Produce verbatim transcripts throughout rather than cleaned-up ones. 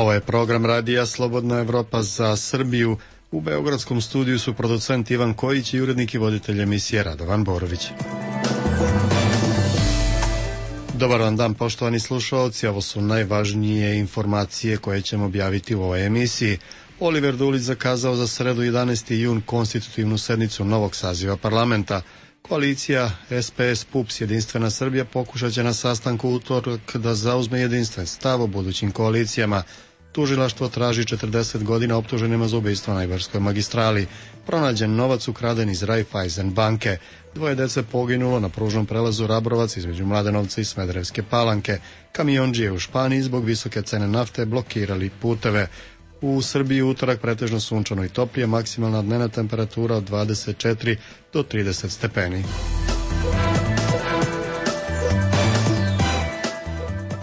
Ovo je program radija Slobodna Evropa za Srbiju. U beogradskom studiju su producent Ivan Kojić i urednik i voditelj emisije Radovan Borović. Dobar vam dan, poštovani slušaoci. Ovo su najvažnije informacije koje ćemo objaviti u ovoj emisiji. Oliver Dulić zakazao za sredu jedanaesti jun konstitutivnu sednicu novog saziva parlamenta. Koalicija S P S P U P S Jedinstvena Srbija pokušat će na sastanku utorak da zauzme jedinstven stav o budućim koalicijama. Tužilaštvo traži četrdeset godina optuženima za ubistvo na Ibarskoj magistrali. Pronađen novac ukraden iz Raiffeisen banke. Dvoje dece poginulo na pružnom prelazu Rabrovac između Mladenovca i Smederevske Palanke. Kamiondžije u Španiji zbog visoke cene nafte blokirali puteve. U Srbiji utorak pretežno sunčano i toplije, maksimalna dnevna temperatura od dvadeset četiri do trideset stepeni.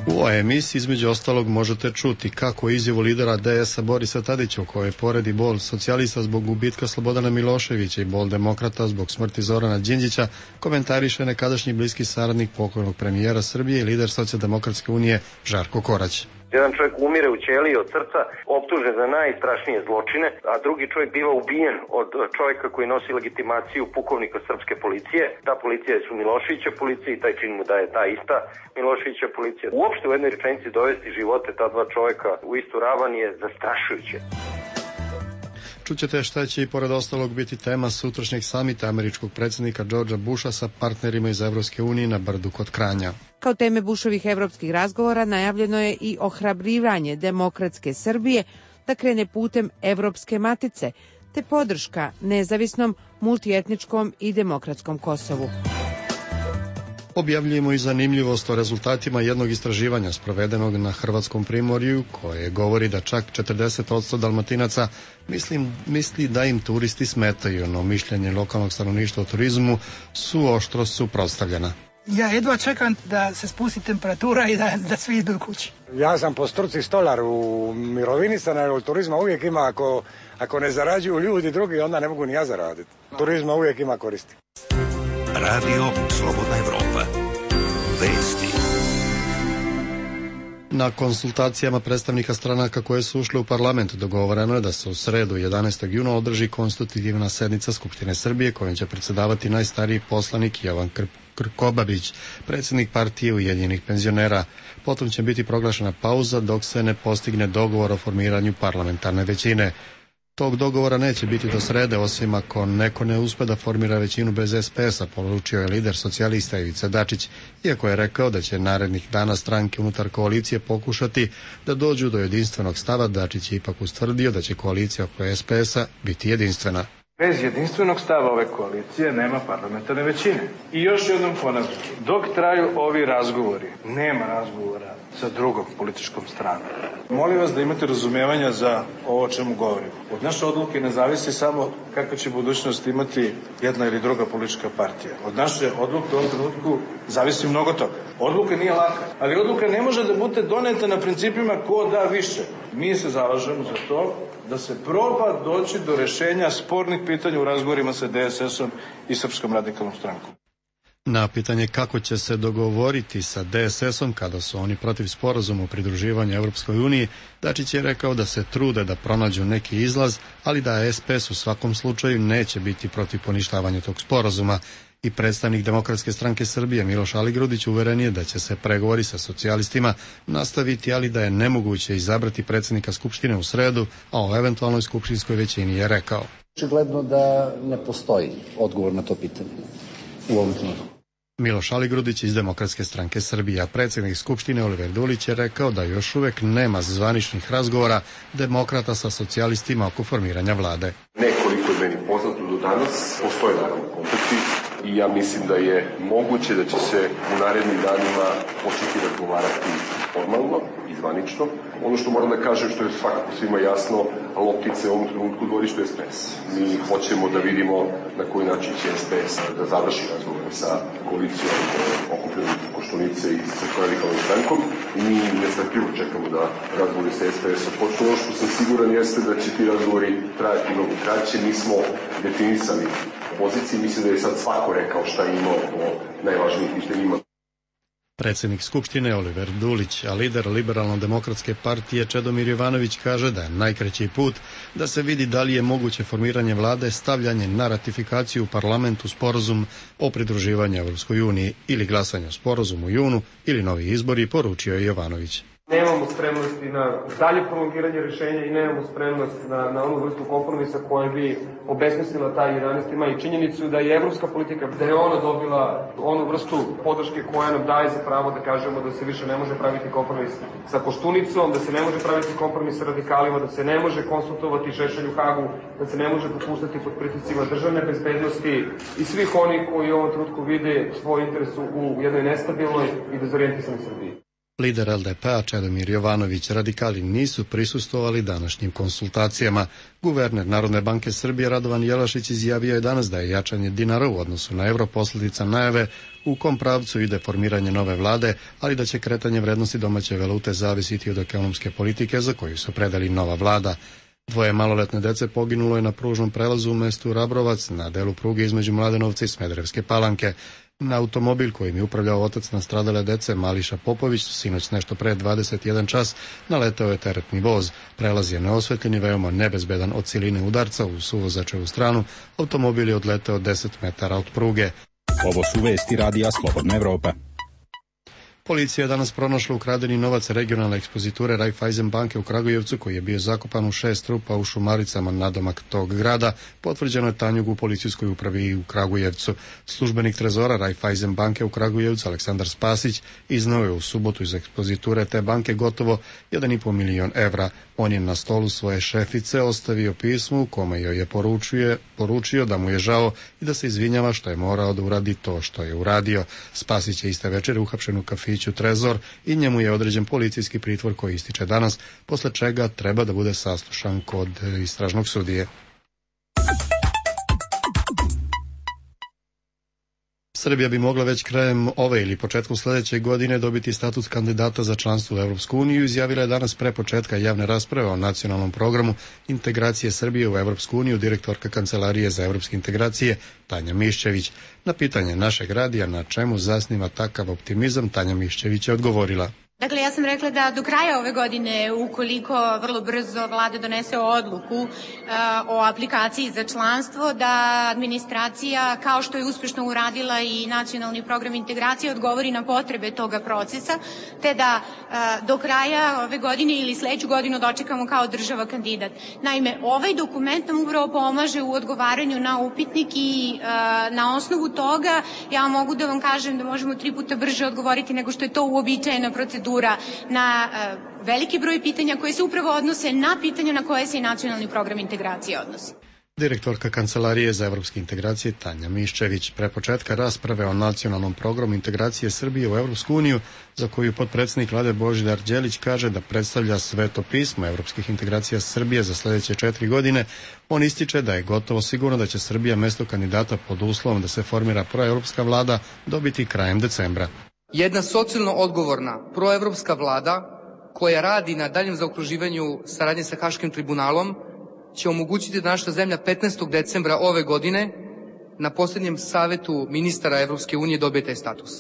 U ovoj emisiji između ostalog možete čuti kako izjavu lidera D S-a Borisa Tadića, u kojoj poredi bol socijalista zbog gubitka Slobodana Miloševića i bol demokrata zbog smrti Zorana Đinđića, komentariše nekadašnji bliski saradnik pokojnog premijera Srbije i lider Socijaldemokratske unije Žarko Korać. Jedan čovjek umire u ćeliji od srca, optužen za najstrašnije zločine, a drugi čovjek biva ubijen od čovjeka koji nosi legitimaciju pukovnika srpske policije. Ta policija je su Miloševića policija i taj čin mu daje ta ista Miloševića policija. Uopšte u jednoj rečenici dovesti živote ta dva čovjeka u istu ravan je zastrašujuće. Čućete šta će i pored ostalog biti tema sutrašnjeg samita američkog predsjednika Georgea Busha sa partnerima iz Evropske unije na Brdu kod Kranja. Kao teme Bushovih evropskih razgovora najavljeno je i ohrabrivanje demokratske Srbije da krene putem Evropske matice, te podrška nezavisnom, multietničkom i demokratskom Kosovu. Objavljujemo i zanimljivost o rezultatima jednog istraživanja sprovedenog na Hrvatskom primorju, koje govori da čak četrdeset posto Dalmatinaca mislim, misli da im turisti smetaju, no mišljenje lokalnog stanovništva o turizmu su oštro suprotstavljena. Ja jedva čekam da se spusti temperatura i da, da svi idu kući. Ja sam po struci stolar, u mirovini sam, ali turizma uvijek ima, ako, ako ne zarađuju ljudi drugi, onda ne mogu ni ja zaraditi. Turizma uvijek ima koristi. Radio Slobodna Evropa. Vesti. Na konsultacijama predstavnika stranaka koje su ušle u parlament dogovoreno je da se u sredu jedanaestog juna održi konstitutivna sednica Skupštine Srbije kojom će predsjedavati najstariji poslanik Jovan Krkobabić, predsjednik partije Ujedinjenih penzionera. Potom će biti proglašena pauza dok se ne postigne dogovor o formiranju parlamentarne većine. Tog dogovora neće biti do srede, osim ako neko ne uspe da formira većinu bez S P S-a, poručio je lider socijalista Ivica Dačić, iako je rekao da će narednih dana stranke unutar koalicije pokušati da dođu do jedinstvenog stava. Dačić je ipak ustvrdio da će koalicija oko S P S-a biti jedinstvena. Bez jedinstvenog stava ove koalicije nema parlamentarne većine. I još jednom ponavljam, dok traju ovi razgovori, nema razgovora sa drugom političkom stranom. Molim vas da imate razumevanja za ovo o čemu govorim. Od naše odluke ne zavisi samo kakva će budućnost imati jedna ili druga politička partija. Od naše odluke u ovom trenutku zavisi mnogo toga. Odluka nije laka, ali odluka ne može da bude doneta na principima ko da više. Mi se zalažemo za to da se proba doći do rešenja spornih pitanja u razgovorima sa D S S-om i Srpskom radikalnom strankom. Na pitanje kako će se dogovoriti sa D S S-om kada su oni protiv sporazuma o pridruživanju Evropskoj uniji, Dačić je rekao da se trude da pronađu neki izlaz, ali da S P S u svakom slučaju neće biti protiv poništavanja tog sporazuma. I predstavnik Demokratske stranke Srbije Miloš Aligrudić uveren je da će se pregovori sa socijalistima nastaviti, ali da je nemoguće izabrati predsjednika Skupštine u sredu, a o eventualnoj skupštinskoj većini je rekao. Očigledno da ne postoji odgovor na to pitanje u ovom trenutku. Miloš Aligrudić iz Demokratske stranke Srbije, a predsjednik Skupštine Oliver Dulić je rekao da još uvek nema zvaničnih razgovora demokrata sa socijalistima oko formiranja vlade. Nekoliko je meni poznato do danas, postoje naravno kontakti i ja mislim da je moguće da će se u narednim danima početi razgovarati formalno i zvanično. Ono što moram da kažem, što je svakako svima jasno, loptice u ovom trenutku dvorištu S P S. Mi hoćemo da vidimo na koji način će S P S da završi razgovore sa koalicijom okupljenom Koštunice i Srpskom radikalnom strankom. Mi nestrpljivo čekamo da razgovori sa S P S-om počnu. Ono što sam siguran jeste da će ti razgovori trajati mnogo kraće. Mi smo definisali poziciji, mislim da je sad svako rekao šta ima o najvažnijim pitanjima. Predsjednik Skupštine Oliver Dulić, a lider Liberalno-demokratske partije Čedomir Jovanović kaže da je najkraći put da se vidi da li je moguće formiranje vlade stavljanje na ratifikaciju u parlamentu sporazum o pridruživanju Evropskoj uniji ili glasanje o sporazumu u junu ili novi izbori, poručio je Jovanović. Nemamo spremnosti na dalje prolongiranje rešenja i nemamo spremnost na, na onu vrstu kompromisa koja bi obesmislila taj jedanaesti maj i činjenicu da je evropska politika, da je ona dobila onu vrstu podrške koja nam daje za pravo da kažemo da se više ne može praviti kompromis sa Koštunicom, da se ne može praviti kompromis sa radikalima, da se ne može konsultovati Šešelj u Hagu, da se ne može popuštati pod pritiscima državne bezbednosti i svih onih koji u ovom trenutku vide svoj interes u jednoj nestabilnoj i dezorientisanoj Srbiji. Lider L D P-a Čedomir Jovanović, radikali nisu prisustvovali današnjim konsultacijama. Guverner Narodne banke Srbije Radovan Jelašić izjavio je danas da je jačanje dinara u odnosu na evro posljedica najave u kom pravcu ide formiranje nove vlade, ali da će kretanje vrednosti domaće valute zavisiti od ekonomske politike za koju su predali nova vlada. Dvoje maloletne dece poginulo je na pružnom prelazu u mestu Rabrovac na delu pruge između Mladenovca i Smederevske Palanke. Na automobil kojim je upravljao otac nastradale dece Mališa Popović sinoć nešto pre dvadeset jedan čas naleteo je teretni voz. Prelaz je neosvetljen i veoma nebezbedan od siline udarca u suvozačevu stranu. Automobil je odleteo deset metara od pruge. Ovo su vesti radija Slobodna Evropa. Policija je danas pronašla ukradeni novac regionalne ekspoziture Raiffeisen banke u Kragujevcu koji je bio zakopan u šest rupa u Šumaricama nadomak tog grada, potvrđeno je Tanjug u policijskoj upravi u Kragujevcu. Službenik trezora Raiffeisen banke u Kragujevcu Aleksandar Spasić izneo je u subotu iz ekspoziture te banke gotovo jedan i po milion evra. On je na stolu svoje šefice ostavio pismo u kome joj je poručio, poručio da mu je žao i da se izvinjava što je morao da uradi to što je uradio. Spasić je iste večeri uhapšen u kafiću Trezor i njemu je određen policijski pritvor koji ističe danas, posle čega treba da bude saslušan kod istražnog sudije. Srbija bi mogla već krajem ove ili početkom sledeće godine dobiti status kandidata za članstvo u Evropsku uniju, izjavila je danas pre početka javne rasprave o nacionalnom programu integracije Srbije u Evropsku uniju direktorka Kancelarije za evropske integracije Tanja Miščević. Na pitanje našeg radija na čemu zasniva takav optimizam, Tanja Miščević je odgovorila. Dakle, ja sam rekla da do kraja ove godine, ukoliko vrlo brzo vlada donese odluku uh, o aplikaciji za članstvo, da administracija, kao što je uspešno uradila i nacionalni program integracije, odgovori na potrebe toga procesa, te da uh, do kraja ove godine ili sledeću godinu dočekamo kao država kandidat. Naime, ovaj dokument nam upravo pomaže u odgovaranju na upitnik i uh, na osnovu toga ja mogu da vam kažem da možemo tri puta brže odgovoriti nego što je to uobičajena procedura na uh, veliki broj pitanja koje se upravo odnose na pitanja na koje se i nacionalni program integracije odnosi. Direktorka Kancelarije za evropske integracije Tanja Miščević. Pre početka rasprave o nacionalnom programu integracije Srbije u Evropsku uniju, za koju potpredsednik vlade Božidar Đelić kaže da predstavlja sveto pismo evropskih integracija Srbije za sledeće četiri godine, on ističe da je gotovo sigurno da će Srbija mesto kandidata pod uslovom da se formira proevropska vlada dobiti krajem decembra. Jedna socijalno odgovorna proevropska vlada koja radi na daljem zaokruživanju saradnje sa Haškim tribunalom će omogućiti da naša zemlja petnaestog decembra ove godine na posljednjem savetu ministara Evropske unije dobije taj status.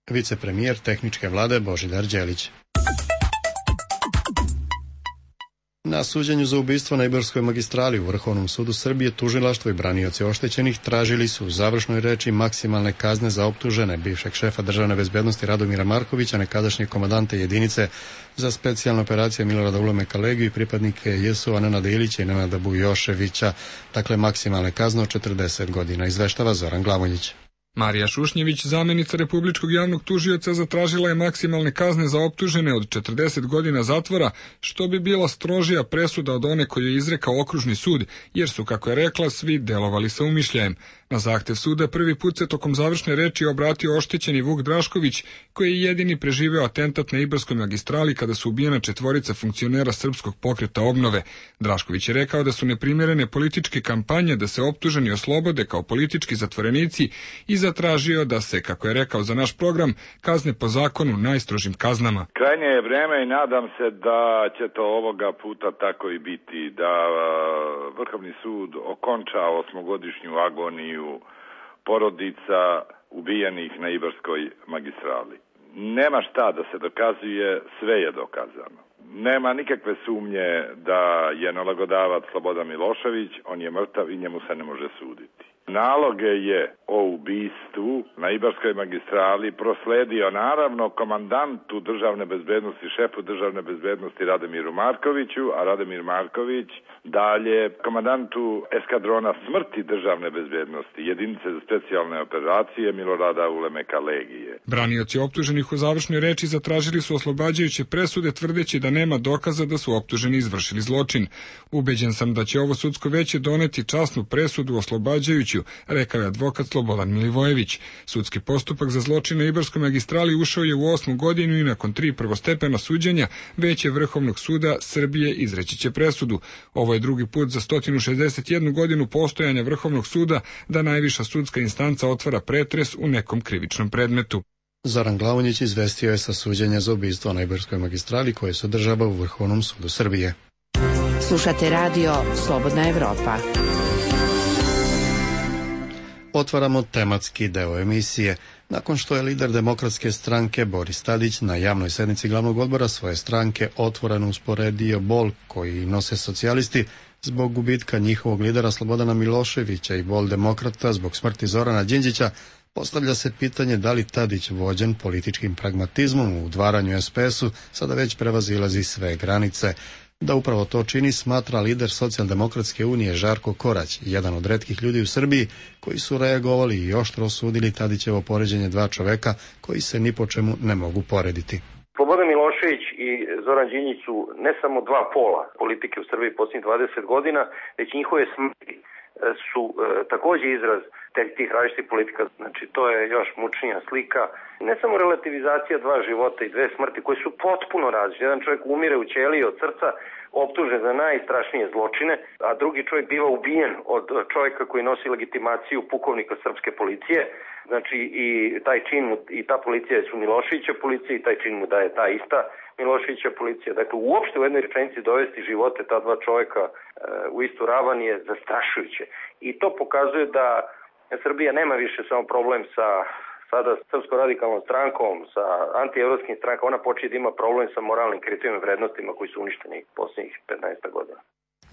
Vicepremijer tehničke vlade Božidar Đelić. Na suđenju za ubistvo na Ibarskoj magistrali u Vrhovnom sudu Srbije tužilaštvo i branioci oštećenih tražili su u završnoj reči maksimalne kazne za optužene bivšeg šefa državne bezbednosti Radomira Markovića, nekadašnje komandante jedinice za specijalne operacije Milorada Ulemeka Legiju i pripadnike J S O-a Nenada Ilića i Nenada Bujoševića, dakle maksimalne kazne od četrdeset godina, izveštava Zoran Glavonjić. Marija Šušnjević, zamenica Republičkog javnog tužioca, zatražila je maksimalne kazne za optužene od četrdeset godina zatvora, što bi bila strožija presuda od one koju je izrekao okružni sud, jer su, kako je rekla, svi delovali sa umišljajem. Na zahtev suda prvi put se tokom završne reči obratio oštećeni Vuk Drašković, koji je jedini preživeo atentat na Ibarskoj magistrali kada su ubijena četvorica funkcionera Srpskog pokreta obnove. Drašković je rekao da su neprimjerene političke kampanje da se optuženi oslobode kao politički zatvorenici i zatražio da se, kako je rekao za naš program, kazne po zakonu najstrožim kaznama. Krajnje je vreme i nadam se da će to ovoga puta tako i biti, da Vrhovni sud okonča osmogodišnju agoniju porodica ubijenih na Ibarskoj magistrali. nema šta da se dokazuje, sve je dokazano. Nema nikakve sumnje da je nalogodavac Slobodan Milošević, on je mrtav i njemu se ne može suditi. Naloge je o ubistvu na Ibarskoj magistrali prosledio naravno komandantu državne bezbednosti, šefu državne bezbednosti Rademiru Markoviću, a Rademir Marković dalje komandantu eskadrona smrti državne bezbednosti, jedinice za specijalne operacije Milorada Ulemeka Legije. Branioci optuženih u završnoj reči zatražili su oslobađajuće presude tvrdeći da nema dokaza da su optuženi izvršili zločin. Ubeđen sam da će ovo sudsko veće doneti časnu presudu oslobađajuću, rekao je advokat Slobodan Milivojević. Sudski postupak za zločine na Ibarskoj magistrali ušao je u osmu godinu i nakon tri prvostepena suđenja Veće Vrhovnog suda Srbije izreći će presudu. Ovo je drugi put za sto šezdeset jednu godinu postojanja Vrhovnog suda da najviša sudska instanca otvara pretres u nekom krivičnom predmetu. Zoran Glavonjić izvestio je sa suđenja za ubistvo na Ibarskoj magistrali koje se održava u Vrhovnom sudu Srbije. Slušate radio Slobodna Evropa. Otvaramo tematski deo emisije. Nakon što je lider Demokratske stranke Boris Tadić na javnoj sednici glavnog odbora svoje stranke otvoreno usporedio bol koji nose socijalisti zbog gubitka njihovog lidera Slobodana Miloševića i bol demokrata zbog smrti Zorana Đinđića, postavlja se pitanje da li Tadić, vođen političkim pragmatizmom u udvaranju es pe esu, sada već prevazilazi sve granice. Da upravo to čini, smatra lider Socijaldemokratske unije Žarko Korać, jedan od retkih ljudi u Srbiji koji su reagovali i oštro osudili Tadićevo poređenje dva čoveka koji se ni po čemu ne mogu porediti. Slobodan Milošević i Zoran Đinđić su ne samo dva pola politike u Srbiji posljednjih dvadeset godina, već njihove smrti su e, također izraz tih različitih politika. Znači, to je još mučnija slika. Ne samo relativizacija dva života i dve smrti koje su potpuno različite. Jedan čovjek umire u ćeliji od srca, optužen za najstrašnije zločine, a drugi čovjek biva ubijen od čovjeka koji nosi legitimaciju pukovnika srpske policije. Znači, i taj čin mu, i ta policija su Miloševića policija i taj čin mu daje ta ista Miloševića policija. Dakle, uopšte u jednoj rečenici dovesti živote ta dva čovjeka e, u istu ravan je zastrašujuće. I to pokazuje da Srbija nema više samo problem sa sada Srpskom radikalnom strankom, sa antievropskim strankama, ona počinje da ima problem sa moralnim kriterijima i vrednostima koji su uništeni posljednjih petnaest godina.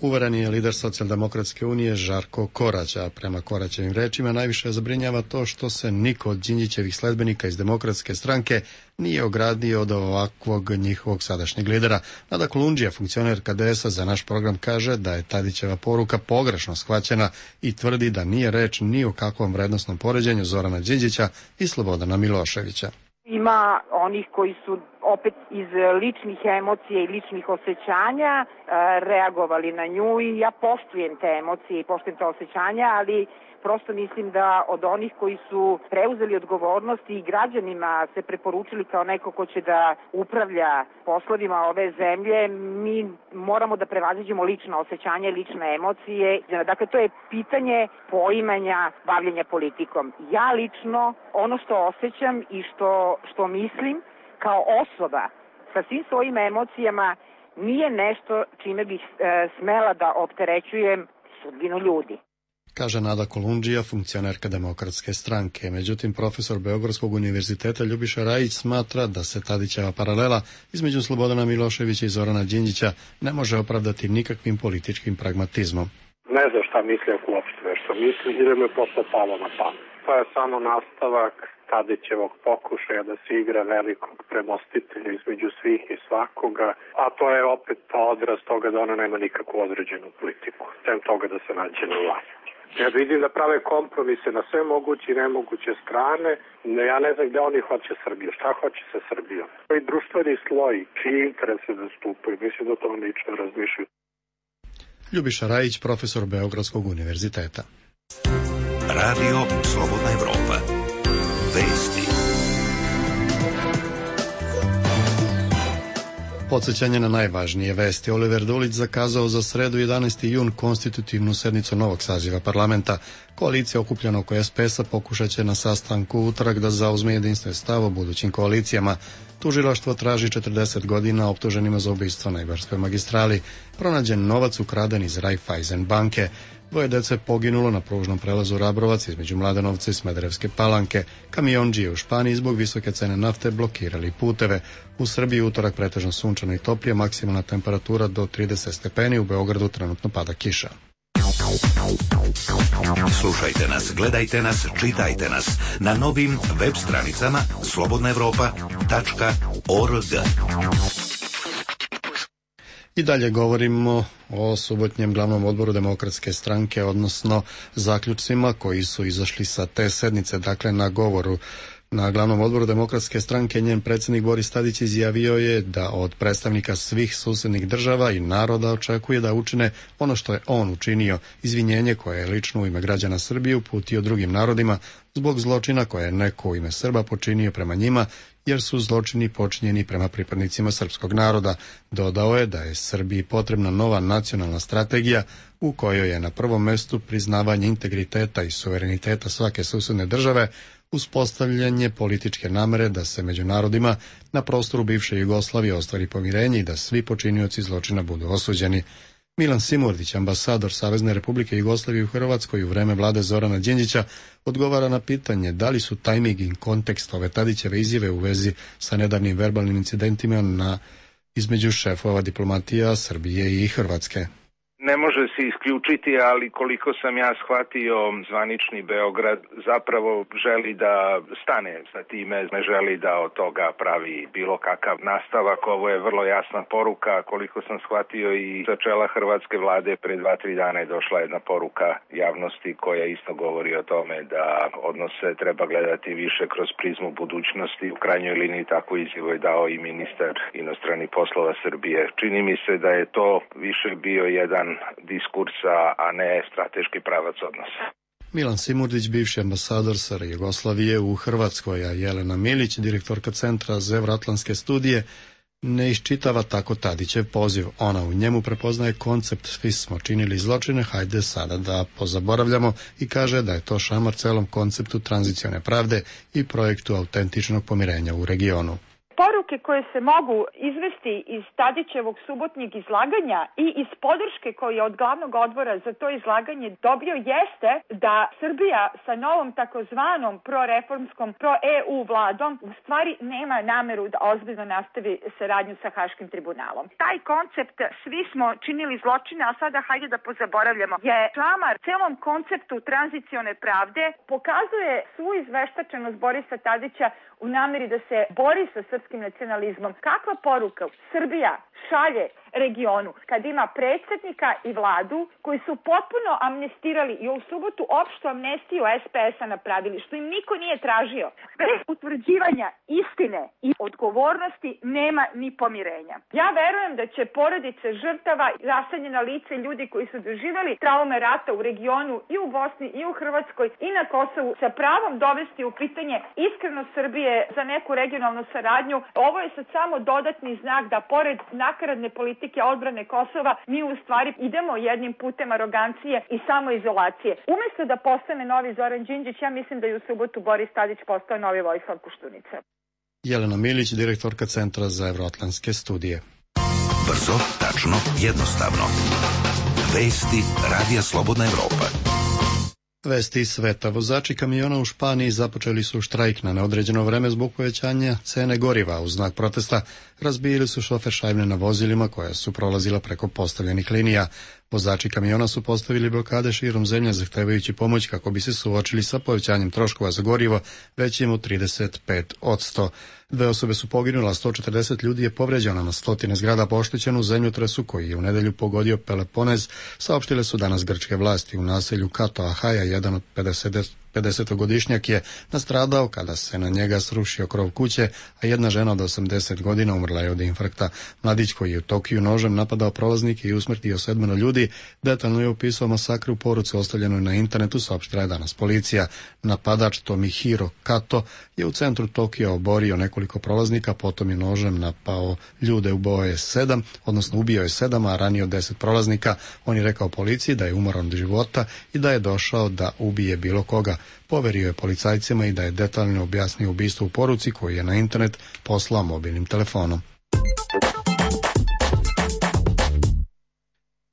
Uveren je lider Socijaldemokratske unije Žarko Korać, a prema Koraćevim rečima najviše zabrinjava to što se niko od Đinđićevih sledbenika iz Demokratske stranke nije ogradio od ovakvog njihovog sadašnjeg lidera. Nada Kolundžija, funkcioner ka de esa, za naš program kaže da je Tadićeva poruka pogrešno shvaćena i tvrdi da nije reč ni o kakvom vrednosnom poređenju Zorana Đinđića i Slobodana Miloševića. Ima onih koji su opet iz ličnih emocija i ličnih osjećanja e, reagovali na nju i ja poštujem te emocije i poštujem te osjećanja, ali prosto mislim da od onih koji su preuzeli odgovornost i građanima se preporučili kao neko ko će da upravlja poslovima ove zemlje, mi moramo da prevaziđemo lična osjećanja i lične emocije. Dakle, to je pitanje poimanja bavljenja politikom. Ja lično ono što osjećam i što, što mislim kao osoba sa svim svojim emocijama nije nešto čime bih e, smela da opterećujem sudbinu ljudi. Kaže Nada Kolundžija, funkcionerka Demokratske stranke. Međutim, profesor Beogradskog univerziteta Ljubiša Rajić smatra da se Tadićeva paralela između Slobodana Miloševića i Zorana Đinđića ne može opravdati nikakvim političkim pragmatizmom. Ne znam šta misli ako uopšte nešto misli, ili me posle palo na pamet. To je samo nastavak Tadićevog pokušaja da se igra velikog premostitelja između svih i svakoga, a to je opet odraz toga da ona nema nikakvu određenu politiku, sem toga da se nađe na vlasti. Ja vidim da prave kompromise na sve moguće i nemoguće strane. Ja ne znam gde oni hoće Srbiju. Šta hoće sa Srbijom? I društveni sloj, čiji interese zastupaju. Mislim da to lično razmišljaju. Ljubiša Rajić, profesor Beogradskog univerziteta. Radio Slobodna Evropa. Vesti. Podsjećanje na najvažnije vesti. Oliver Dulić zakazao za sredu jedanaesti jun konstitutivnu sednicu novog saziva parlamenta. Koalicija okupljena oko es pe esa pokušat će na sastanku utorak da zauzme jedinstven stav o budućim koalicijama. Tužilaštvo traži četrdeset godina optuženima za ubistvo na Ibarskoj magistrali. Pronađen novac ukraden iz Raiffeisen banke. Dvoje dece poginulo na pružnom prelazu Rabrovac između Mladenovca i Smederevske Palanke. Kamiondžije u Španiji zbog visoke cene nafte blokirali puteve. U Srbiji utorak pretežno sunčano i toplije, maksimalna temperatura do trideset stepeni, u Beogradu trenutno pada kiša. Slušajte nas, gledajte nas, čitajte nas na novim web stranicama slobodna evropa tačka org. I dalje govorimo o subotnjem glavnom odboru Demokratske stranke, odnosno zaključcima koji su izašli sa te sednice. Dakle, na govoru na glavnom odboru Demokratske stranke njen predsjednik Boris Tadić izjavio je da od predstavnika svih susednih država i naroda očekuje da učine ono što je on učinio, izvinjenje koje je lično u ime građana Srbije uputio drugim narodima zbog zločina koje je neko u ime Srba počinio prema njima, jer su zločini počinjeni prema pripadnicima srpskog naroda. Dodao je da je Srbiji potrebna nova nacionalna strategija u kojoj je na prvom mestu priznavanje integriteta i suvereniteta svake susedne države, uspostavljanje političke namere da se među narodima na prostoru bivše Jugoslavije ostvari pomirenje i da svi počinioci zločina budu osuđeni. Milan Simurdić, ambasador Savezne Republike Jugoslavije u Hrvatskoj u vreme vlade Zorana Đinđića, odgovara na pitanje da li su tajming i kontekst ove Tadićeve izjave u vezi sa nedavnim verbalnim incidentima na između šefova diplomatija Srbije i Hrvatske. Ne može se isključiti, ali koliko sam ja shvatio, zvanični Beograd zapravo želi da stane sa time, ne želi da od toga pravi bilo kakav nastavak. Ovo je vrlo jasna poruka, koliko sam shvatio i sa čela hrvatske vlade pre dva, tri dana je došla jedna poruka javnosti koja isto govori o tome da odnose treba gledati više kroz prizmu budućnosti. U krajnjoj liniji tako izjavu je dao i ministar inostranih poslova Srbije. Čini mi se da je to više bio jedan diskursa, a ne strateški pravac odnosa. Milan Simurdić, bivši ambasador S R Jugoslavije u Hrvatskoj, a Jelena Milić, direktorka Centra za evroatlantske studije, ne iščitava tako Tadićev poziv. Ona u njemu prepoznaje koncept svi smo činili zločine, hajde sada da pozaboravljamo, i kaže da je to šamar celom konceptu tranzicione pravde i projektu autentičnog pomirenja u regionu. Poruke koje se mogu izvesti iz Tadićevog subotnjeg izlaganja i iz podrške koju je od glavnog odbora za to izlaganje dobio jeste da Srbija sa novom takozvanom proreformskom, pro-E U vladom u stvari nema nameru da ozbiljno nastavi saradnju sa Haškim tribunalom. Taj koncept svi smo činili zločine, a sada hajde da pozaboravljamo je šamar celom konceptu tranzicione pravde, pokazuje svu izveštačenost Borisa Tadića u nameri da se bori sa srpskim nacionalizmom. Kakva poruka Srbija šalje regionu kad ima predsjednika i vladu koji su potpuno amnestirali i u subotu opštu amnestiju S P S-a napravili, što im niko nije tražio. Bez utvrđivanja istine i odgovornosti nema ni pomirenja. Ja verujem da će porodice žrtava, raseljena lice, ljudi koji su doživjeli traume rata u regionu i u Bosni i u Hrvatskoj i na Kosovu sa pravom dovesti u pitanje iskrenost Srbije za neku regionalnu saradnju. Ovo je sad samo dodatni znak da pored nakaradne politike odbrane Kosova mi u stvari idemo jednim putem arogancije i samoizolacije. Umjesto da postane novi Zoran Đinđić, ja mislim da je u subotu Boris Tadić postao novi Vojislav Koštunica. Jelena Milić, direktorka Centra za evroatlantske studije. Brzo, tačno, jednostavno. Vesti Radija Slobodna Evropa. Vesti iz sveta. Vozači kamiona u Španiji započeli su štrajk na neodređeno vreme zbog povećanja cene goriva. U znak protesta razbijili su šoferšajbne na vozilima koja su prolazila preko postavljenih linija. Vozači kamiona su postavili blokade širom zemlje zahtevajući pomoć kako bi se suočili sa povećanjem troškova za gorivo većim od trideset pet posto. Dve osobe su poginule, a sto četrdeset ljudi je povređeno, na stotine zgrada poštećeno u zemljotresu koji je u nedelju pogodio Peloponez, saopštile su danas grčke vlasti. U naselju Kato Ahaja jedan od pedesetogodišnjak je nastradao kada se na njega srušio krov kuće, a jedna žena od osamdeset godina umrla je od infarkta. Mladić koji je u Tokiju nožem napadao prolaznike i usmrtio sedmero ljudi, detaljno je opisao masakr u poruci ostavljenoj na internetu, saopštila je danas policija. Napadač Tomihiro Kato je u centru Tokija oborio nekoliko prolaznika, potom je nožem napao ljude, ubio je sedam, odnosno ubio je sedam, a ranio deset prolaznika. On je rekao policiji da je umoran od života i da je došao da ubije bilo koga. Poverio je policajcima i da je detaljno objasnio ubistvo u poruci koju je na internet poslao mobilnim telefonom.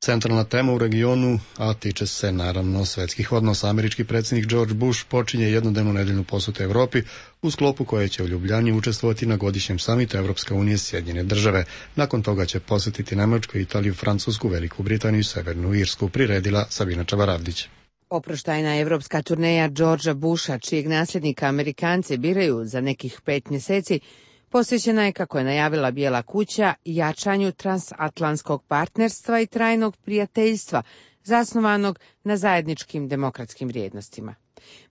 Centralna tema u regionu, a tiče se naravno svetskih odnosa. Američki predsjednik George Bush počinje jednodnevnu nedeljnu posetu Evropi u sklopu koje će u Ljubljani učestvovati na godišnjem samitu Evropska unija Sjedinjene države. Nakon toga će posjetiti Nemačku, Italiju, Francusku, Veliku Britaniju i Severnu Irsku, priredila Sabina Čavaravdić. Oproštajna evropska turneja Georgea Busha, čijeg nasljednika Amerikanci biraju za nekih pet mjeseci, posvećena je, kako je najavila Bijela kuća, jačanju transatlantskog partnerstva i trajnog prijateljstva, zasnovanog na zajedničkim demokratskim vrijednostima.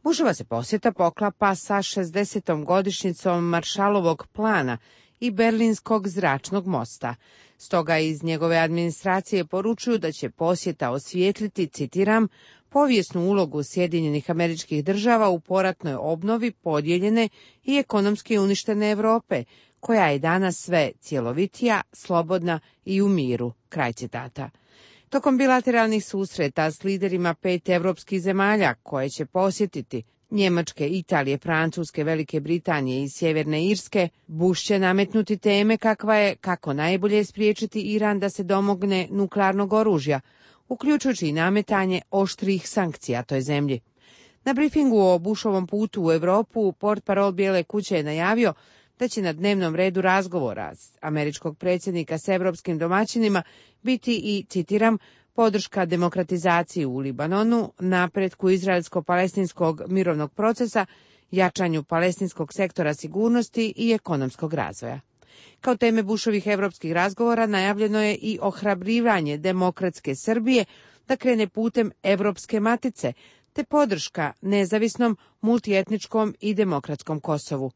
Bushova se posjeta poklapa sa šezdesetom godišnjicom Maršalovog plana i Berlinskog zračnog mosta. Stoga iz njegove administracije poručuju da će posjeta osvijetliti, citiram, povijesnu ulogu Sjedinjenih Američkih Država u poratnoj obnovi podijeljene i ekonomski uništene Europe, koja je danas sve cjelovitija, slobodna i u miru. Kraj citata. Tokom bilateralnih susreta s liderima pet evropskih zemalja koje će posjetiti, Njemačke, Italije, Francuske, Velike Britanije i Sjeverne Irske, Bush će nametnuti teme kakva je kako najbolje spriječiti Iran da se domogne nuklearnog oružja, uključujući i nametanje oštrih sankcija toj zemlji. Na brifingu o Bushovom putu u Europu portparol Bijele kuće je najavio da će na dnevnom redu razgovora američkog predsjednika s evropskim domaćinima biti i, citiram, podrška demokratizaciji u Libanonu, napretku izraelsko-palestinskog mirovnog procesa, jačanju palestinskog sektora sigurnosti i ekonomskog razvoja. Kao teme Bushovih evropskih razgovora najavljeno je i ohrabrivanje demokratske Srbije da krene putem Evropske matice, te podrška nezavisnom, multietničkom i demokratskom Kosovu.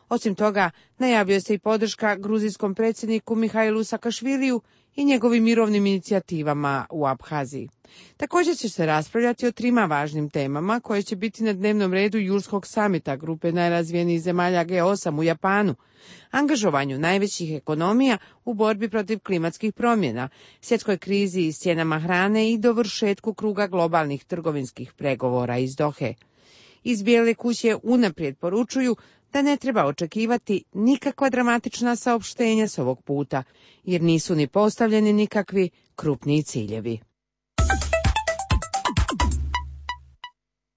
Osim toga, najavio se i podrška gruzijskom predsjedniku Mihajlu Sakašviliju i njegovim mirovnim inicijativama u Abhaziji. Također će se raspravljati o trima važnim temama koje će biti na dnevnom redu julskog samita grupe najrazvijenijih zemalja G osam u Japanu, angažovanju najvećih ekonomija u borbi protiv klimatskih promjena, svjetskoj krizi i s cijenama hrane i dovršetku kruga globalnih trgovinskih pregovora iz Dohe. Iz Bijele kuće unaprijed poručuju da ne treba očekivati nikakva dramatična saopštenja s ovog puta, jer nisu ni postavljeni nikakvi krupniji ciljevi.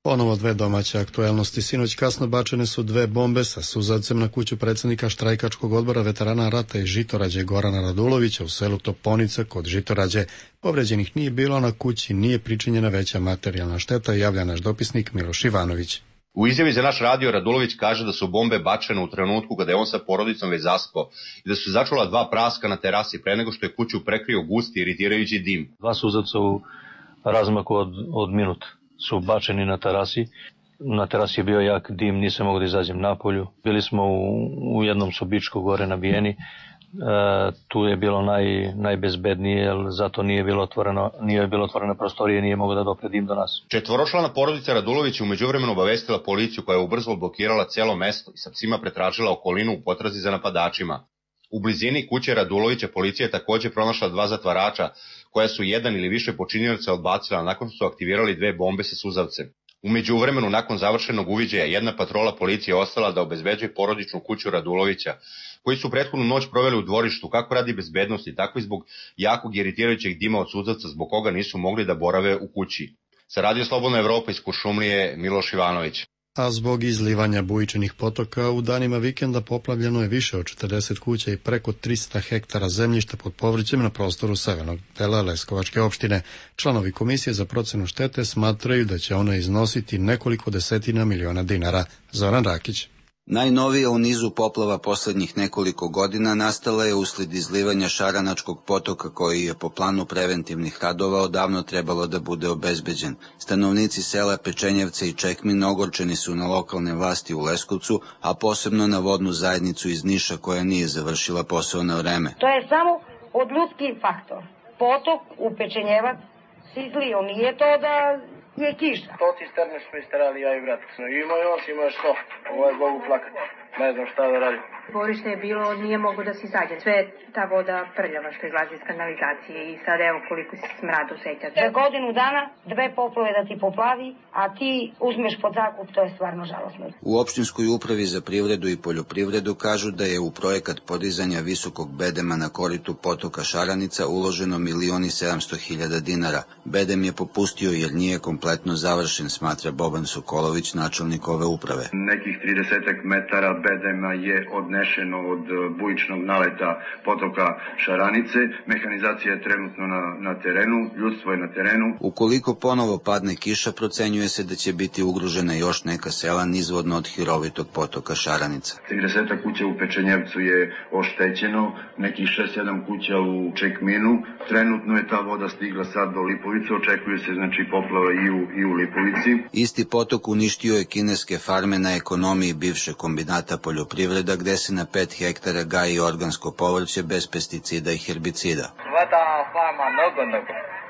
Ponovo dve domaće aktuelnosti. Sinoć kasno bačene su dve bombe sa suzavcem na kuću predsjednika štrajkačkog odbora veterana rata iz Žitorađe Gorana Radulovića u selu Toponice kod Žitorađe. Povređenih nije bilo, na kući nije pričinjena veća materijalna šteta, javlja naš dopisnik Miloš Ivanović. U izjavi za naš radio Radulović kaže da su bombe bačene u trenutku kada je on sa porodicom već zaspao i da su začula dva praska na terasi pre nego što je kuću prekrio gusti iritirajući dim. Dva suzavca u razmaku od, od minut su bačeni na terasi. Na terasi je bio jak dim, nisam mogao da izađem napolju. Bili smo u, u jednom sobičku gore nabijeni. E, tu je bilo naj, najbezbednije, jer zato nije bilo otvoreno, nije bilo otvorena prostorija, nije mogao da dopre dim do nas. Četvoročlana porodica Radulović je umeđuvremenu obavestila policiju, koja je ubrzo blokirala celo mesto i sa psima pretražila okolinu u potrazi za napadačima. U blizini kuće Radulovića policija je takođe pronašla dva zatvarača, koja su jedan ili više počinioca odbacila nakon što su aktivirali dve bombe sa suzavcem. Umeđuvremenu, nakon završenog uviđaja, jedna patrola policije ostala da obezbeđuje porodičnu kuću Radulovića, koji su prethodnu noć proveli u dvorištu, kako radi bezbednosti, tako i zbog jakog iritirajućeg dima od suzavca, zbog koga nisu mogli da borave u kući. Sa Radio Slobodna Evropa iz Kuršumlije, Miloš Ivanović. A zbog izlivanja bujičnih potoka u danima vikenda poplavljeno je više od četrdeset kuća i preko trista hektara zemljišta pod povrćem na prostoru severnog dela Leskovačke opštine. Članovi Komisije za procenu štete smatraju da će ona iznositi nekoliko desetina miliona dinara. Zoran Rakić. Najnovija u nizu poplava poslednjih nekoliko godina nastala je usled izlivanja Šaranačkog potoka, koji je po planu preventivnih radova odavno trebalo da bude obezbeđen. Stanovnici sela Pečenjevce i Čekmin ogorčeni su na lokalne vlasti u Leskovcu, a posebno na vodnu zajednicu iz Niša, koja nije završila posao na vreme. To je samo od ljudski faktor. Potok u Pečenjevac se izlio, nije to da je kiša. To cisterne smo isterali ja i brat. Ima još, ima još to. Ovo je Bogu plakat. Ne znam šta da radim. Dvorište je bilo, nije moglo da se izađe. Sve je ta voda prljava što izlazi iz kanalizacije i sad evo koliko se smrad osjeća. Za godinu dana dve poplove da ti poplavi, a ti uzmeš pod zakup, to je stvarno žalosno. U opštinskoj upravi za privredu i poljoprivredu kažu da je u projekat podizanja visokog bedema na koritu potoka Šaranica uloženo milion i sedamsto hiljada dinara. Bedem je popustio jer nije kompletno završen, smatra Boban Sokolović, načelnik ove uprave. Nekih trideset metara bedema je odnešeno od bujičnog naleta potoka Šaranice. Mehanizacija je trenutno na, na terenu, ljudstvo je na terenu. Ukoliko ponovo padne kiša, procenjuje se da će biti ugrožena još neka sela nizvodno od hirovitog potoka Šaranica. trideset kuća u Pečenjevcu je oštećeno, nekih šest sedam kuća u Čekminu. Trenutno je ta voda stigla sad do Lipovice, očekuje se znači poplava i u, i u Lipovici. Isti potok uništio je kineske farme na ekonomiji bivše kombinata poljoprivreda, gde se na pet hektara gaji organsko povrće bez pesticida i herbicida.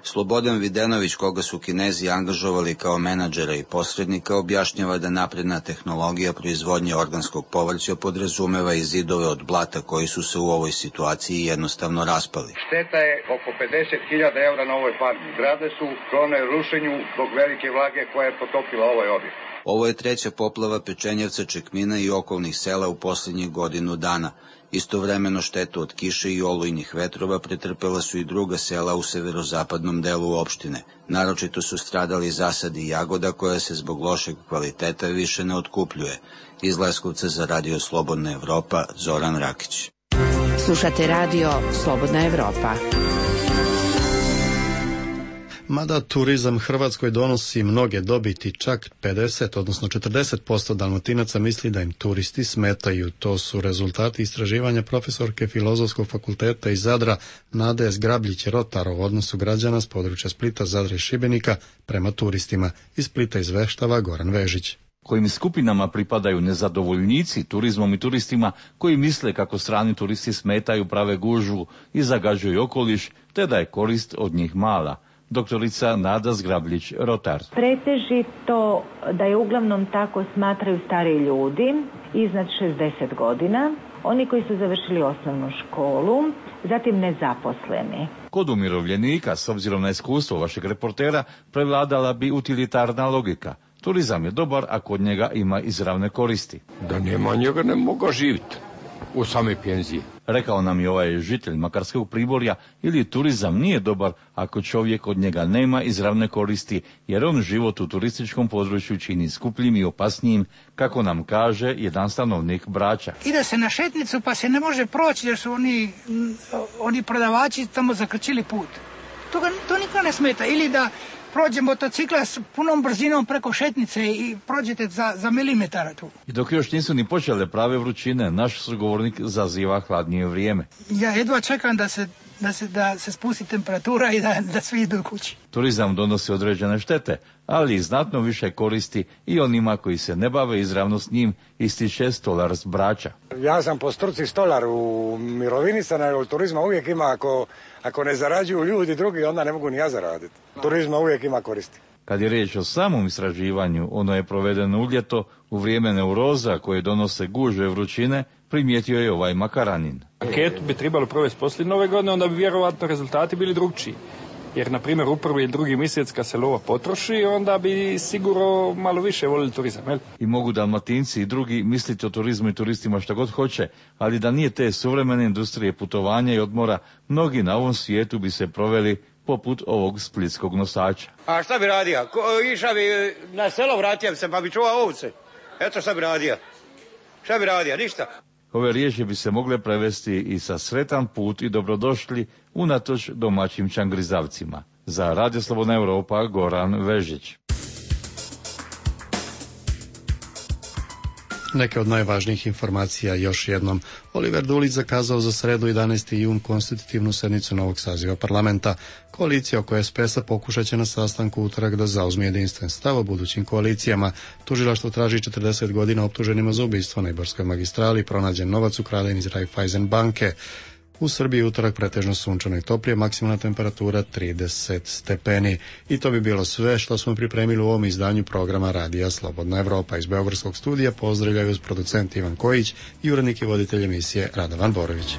Slobodan Videnović, koga su Kinezi angažovali kao menadžera i posrednika, objašnjava da napredna tehnologija proizvodnje organskog povrća podrazumeva i zidove od blata koji su se u ovoj situaciji jednostavno raspali. Šteta je oko pedeset hiljada evra na ovoj farmi. Zgrade su sklone rušenju zbog velike vlage koja je potopila ovaj objekt. Ovo je treća poplava Pečenjevca, Čekmina i okolnih sela u posljednjih godinu dana. Istovremeno štetu od kiše i olujnih vetrova pretrpela su i druga sela u severozapadnom delu opštine. Naročito su stradali zasadi jagoda koja se zbog lošeg kvaliteta više ne otkupljuje. Iz Leskovca za Radio Slobodna Evropa, Zoran Rakić. Slušate Radio Slobodna Evropa. Mada turizam Hrvatskoj donosi mnoge dobiti, čak pedeset, odnosno četrdeset posto Dalmatinaca misli da im turisti smetaju. To su rezultati istraživanja profesorke Filozofskog fakulteta iz Zadra Nade Zgrabljić-Rotar o odnosu građana s područja Splita, Zadra i Šibenika prema turistima. Iz Splita izveštava Goran Vežić. Kojim skupinama pripadaju nezadovoljnici turizmom i turistima koji misle kako strani turisti smetaju, prave gužvu i zagađuju okoliš, te da je korist od njih mala. Doktorica Nada Zgrabljić-Rotar. Pretežito da je uglavnom tako smatraju stari ljudi iznad šezdeset godina, oni koji su završili osnovnu školu, zatim nezaposleni. Kod umirovljenika, s obzirom na iskustvo vašeg reportera, prevladala bi utilitarna logika. Turizam je dobar ako od njega ima izravne koristi. Da nema njega ne mogu živjeti u same penzije. Rekao nam je ovaj žitelj Makarskog Priborja, ili turizam nije dobar ako čovjek od njega nema izravne koristi, jer on život u turističkom području čini skupljim i opasnijim, kako nam kaže jedan stanovnik Brača. Ide se na šetnicu pa se ne može proći jer su oni, oni prodavači tamo zakrčili put. To, ga, to niko ne smeta. Ili da prođe motocikla s punom brzinom preko šetnice i prođete za, za milimetara tu. I dok još nisu ni počele prave vrućine, naš sugovornik zaziva hladnije vrijeme. Ja jedva čekam da se, da se, da se spusti temperatura i da, da svi idu kući. Turizam donosi određene štete, ali i znatno više koristi i onima koji se ne bave izravno s njim, ističe stolar s Brača. Ja sam po struci stolar u mirovini sam, ali turizma uvijek ima, ako, ako ne zarađuju ljudi drugi, onda ne mogu ni ja zaraditi. Turizma uvijek ima koristi. Kad je riječ o samom istraživanju, ono je provedeno u ljeto, u vrijeme neuroza koje donose gužve vrućine, primijetio je ovaj Makaranin. Anketu bi trebalo provesti poslije nove godine, onda bi vjerovatno rezultati bili drugčiji. Jer, na primjer, u prvi ili drugi mjesec kad se lova potroši, onda bi sigurno malo više volili turizam. Jel? I mogu Dalmatinci i drugi misliti o turizmu i turistima što god hoće, ali da nije te suvremene industrije putovanja i odmora, mnogi na ovom svijetu bi se proveli poput ovog splitskog nosača. A šta bi radio? Ko, iša bi na selo, vratio bi se pa bi čuvao ovce. Eto šta bi radio. Šta bi radio? Ništa. Ove riječi bi se mogle prevesti i sa sretan put i dobrodošli unatoč domaćim čangrizavcima. Za Radio Slobodna Evropa, Goran Vežić. Neke od najvažnijih informacija još jednom. Oliver Dulić zakazao za sredu jedanaesti jun konstitutivnu sednicu novog saziva parlamenta. Koalicija oko es pe es-a pokušat će na sastanku utorak da zauzme jedinstven stav o budućim koalicijama. Tužilaštvo traži četrdeset godina optuženima za ubistvo na Ibarskoj magistrali, pronađen novac ukraden iz Raiffeisen banke. U Srbiji utorak pretežno sunčano i toplije, maksimalna temperatura trideset stepeni. I to bi bilo sve što smo pripremili u ovom izdanju programa Radija Slobodna Evropa. Iz Beogradskog studija pozdravljaju producent Ivan Kojić i urednik i voditelj emisije Radovan Borović.